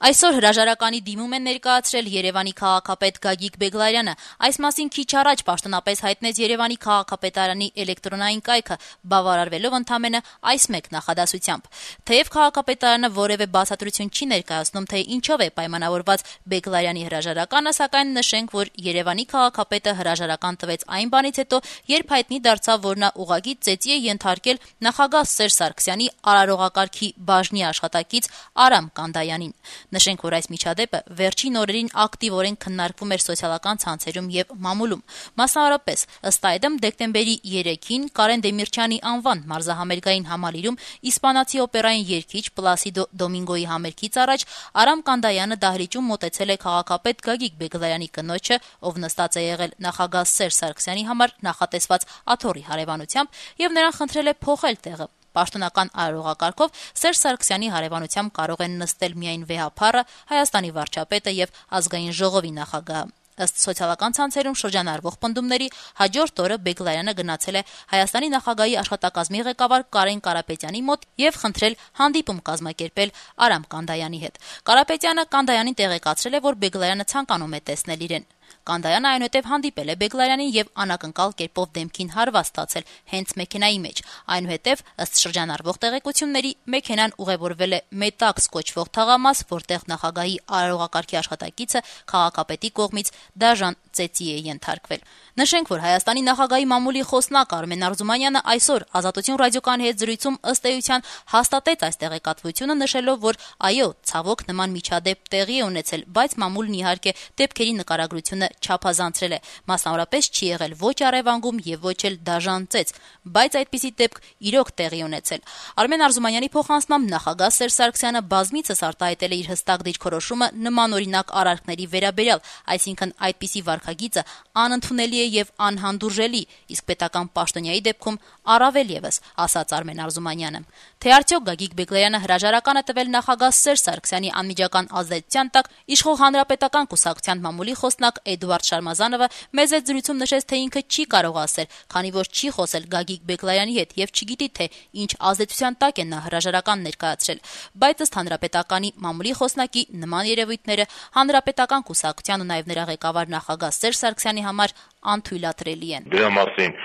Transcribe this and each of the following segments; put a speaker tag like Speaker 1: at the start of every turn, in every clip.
Speaker 1: Այսօր հրաժարականի դիմում են ներկայացրել Երևանի քաղաքապետ Գագիկ Բեգլարյանը։ Այս մասին քիչ առաջ պաշտոնապես հայտնեց Երևանի քաղաքապետարանի էլեկտրոնային կայքը, բավարարվելով ընդամենը այս մեկ նախադասությամբ։ Թեև քաղաքապետարանը որևէ բացատրություն չի ներկայացնում, թե ինչով է պայմանավորված Բեգլարյանի հրաժարականը, սակայն նշենք, որ Երևանի քաղաքապետը հրաժարական տվեց այն բանից հետո, երբ հայտնի դարձավ, որ նա ուղղակի ծեծի է ենթարկել նախագահ Սերժ Սարգսյանի արարողակարգի բաժնի աշխատակից Արամ Կանդայանին։ Նշենք, որ այս միջադեպը վերջին օրերին ակտիվորեն քննարկվում էր սոցիալական ցանցերում եւ մամուլում։ Մասնավորապես, ըստ այդմ, դեկտեմբերի 3-ին Կարեն Դեմիրճյանի անվան մարզահամերգային համալիրում իսպանացի օպերային երգիչ Պլասիդո Դոմինգոյի համերգից առաջ Արամ Կանդայանը դահլիճում մոտեցել է քաղաքապետ Գագիկ Բեգլարյանի կնոջը, ով նստած է եղել նախագահ Սերժ Սարգսյանի համար նախատեսված աթոռի հարևանությամբ, եւ նրան խնդրել է փոխել տեղը։ Պաշտոնական արարողակարգով Սերժ Սարգսյանի հարևանությամբ կարող են նստել միայն վեհափառը, Հայաստանի վարչապետը եւ Ազգային ժողովի նախագահը։ Ըստ սոցիալական ցանցերում շրջանառվող պնդումների, հաջորդ օրը Բեգլարյանը գնացել է Հայաստանի նախագահի աշխատակազմի ղեկավար Կարեն Կարապետյանի մոտ եւ խնդրել հանդիպում կազմակերպել Արամ Կանդայանի հետ։ Կարապետյանը Կանդայանին տեղեկացրել է, որ Բեգլարյանը ցանկանում է տեսնել իրեն։ Կանդայանը այնուհետև հանդիպել է Բեգլարյանին եւ անակնկալ կերպով դեմքին հարված ստացել հենց մեքենայի մեջ։ Այնուհետև, ըստ շրջանառվող տեղեկությունների, մեքենան ուղևորվել է Մետաքս կոչվող թաղամաս, որտեղ նախագահի արարողակարգի աշխատակիցը քաղաքապետի կողմից դաժան ծեծի է ենթարկվել։ Նշենք, որ Հայաստանի նախագահի մամուլի խոսնակ Արմեն Արզումանյանը այսօր Ազատություն ռադիոկայանի հետ զրույցում ըստ էության հաստատեց այս տեղեկատվությունը, նշելով, որ այո, ցավոք նման միջադեպ տեղի է ունեցել, բայց մամուլն իհարկե դեպքերի նկարագրությունը չափազանցրել է, մասնավորապես չի եղել ոչ առևանգում եւ ոչ էլ դաժան ծեծ, բայց այդպիսի դեպք իրոք տեղի ունեցել։ Արմեն Արզումանյանի փոխանցմամբ նախագահ Սերժ Սարգսյանը բազմիցս արտահայտել է իր հստակ դիրքորոշումը նմանօրինակ արարքների վերաբերյալ, այսինքն այդպիսի վարքագիծը անընդունելի է եւ անհանդուրժելի, իսկ պետական պաշտոնյայի դեպքում առավել եւս, ասաց Արմեն Արզումանյանը։ Թե արդյոք Գագիկ Բեգլարյանը հրաժարական է տվել նախագահ Սերժ Սարգսյանի անմիջական ազդեցության տակ, իշխող Հանրապետական կուսակցության մամուլի խոսնակ Էդուարդ Շարմազանովը մեծ զրույցում նշեց, թե ինքը չի կարող ասել, քանի որ չի խոսել Գագիկ Բեգլարյանի հետ եւ չգիտի, թե ինչ ազդեցության տակ է նա հրաժարական ներկայացրել, բայց ըստ Հանրապետականի մամուլի խոսնակի նման երևույթները Հանրապետական կուսակցության ու նաեւ նրա ղեկավար նախագահ Սերժ Սարգսյանի համար անթույլատրելի են։
Speaker 2: Դրա մասին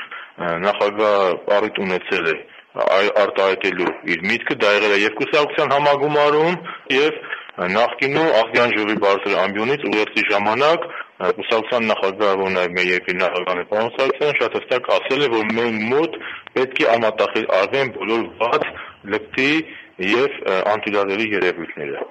Speaker 2: նախագահը առիթ ունեցել է արտահայտելու իր միտքը, դա եղել է եւ կուսակցության համագումարում եւ նախկինում Ազգային ժողովի բարձր ամբիոնից ուղերձի ժամանակ կուսակցության նախագահը, որ նաեւ մեր երկրի նախագահն է, պարոն Սարգսյանը շատ հստակ ասել է, որ մեր մոտ պետք է անմատախիլ արվեն բոլոր վատ, լկտի եւ անթույլատրելի երևույթները։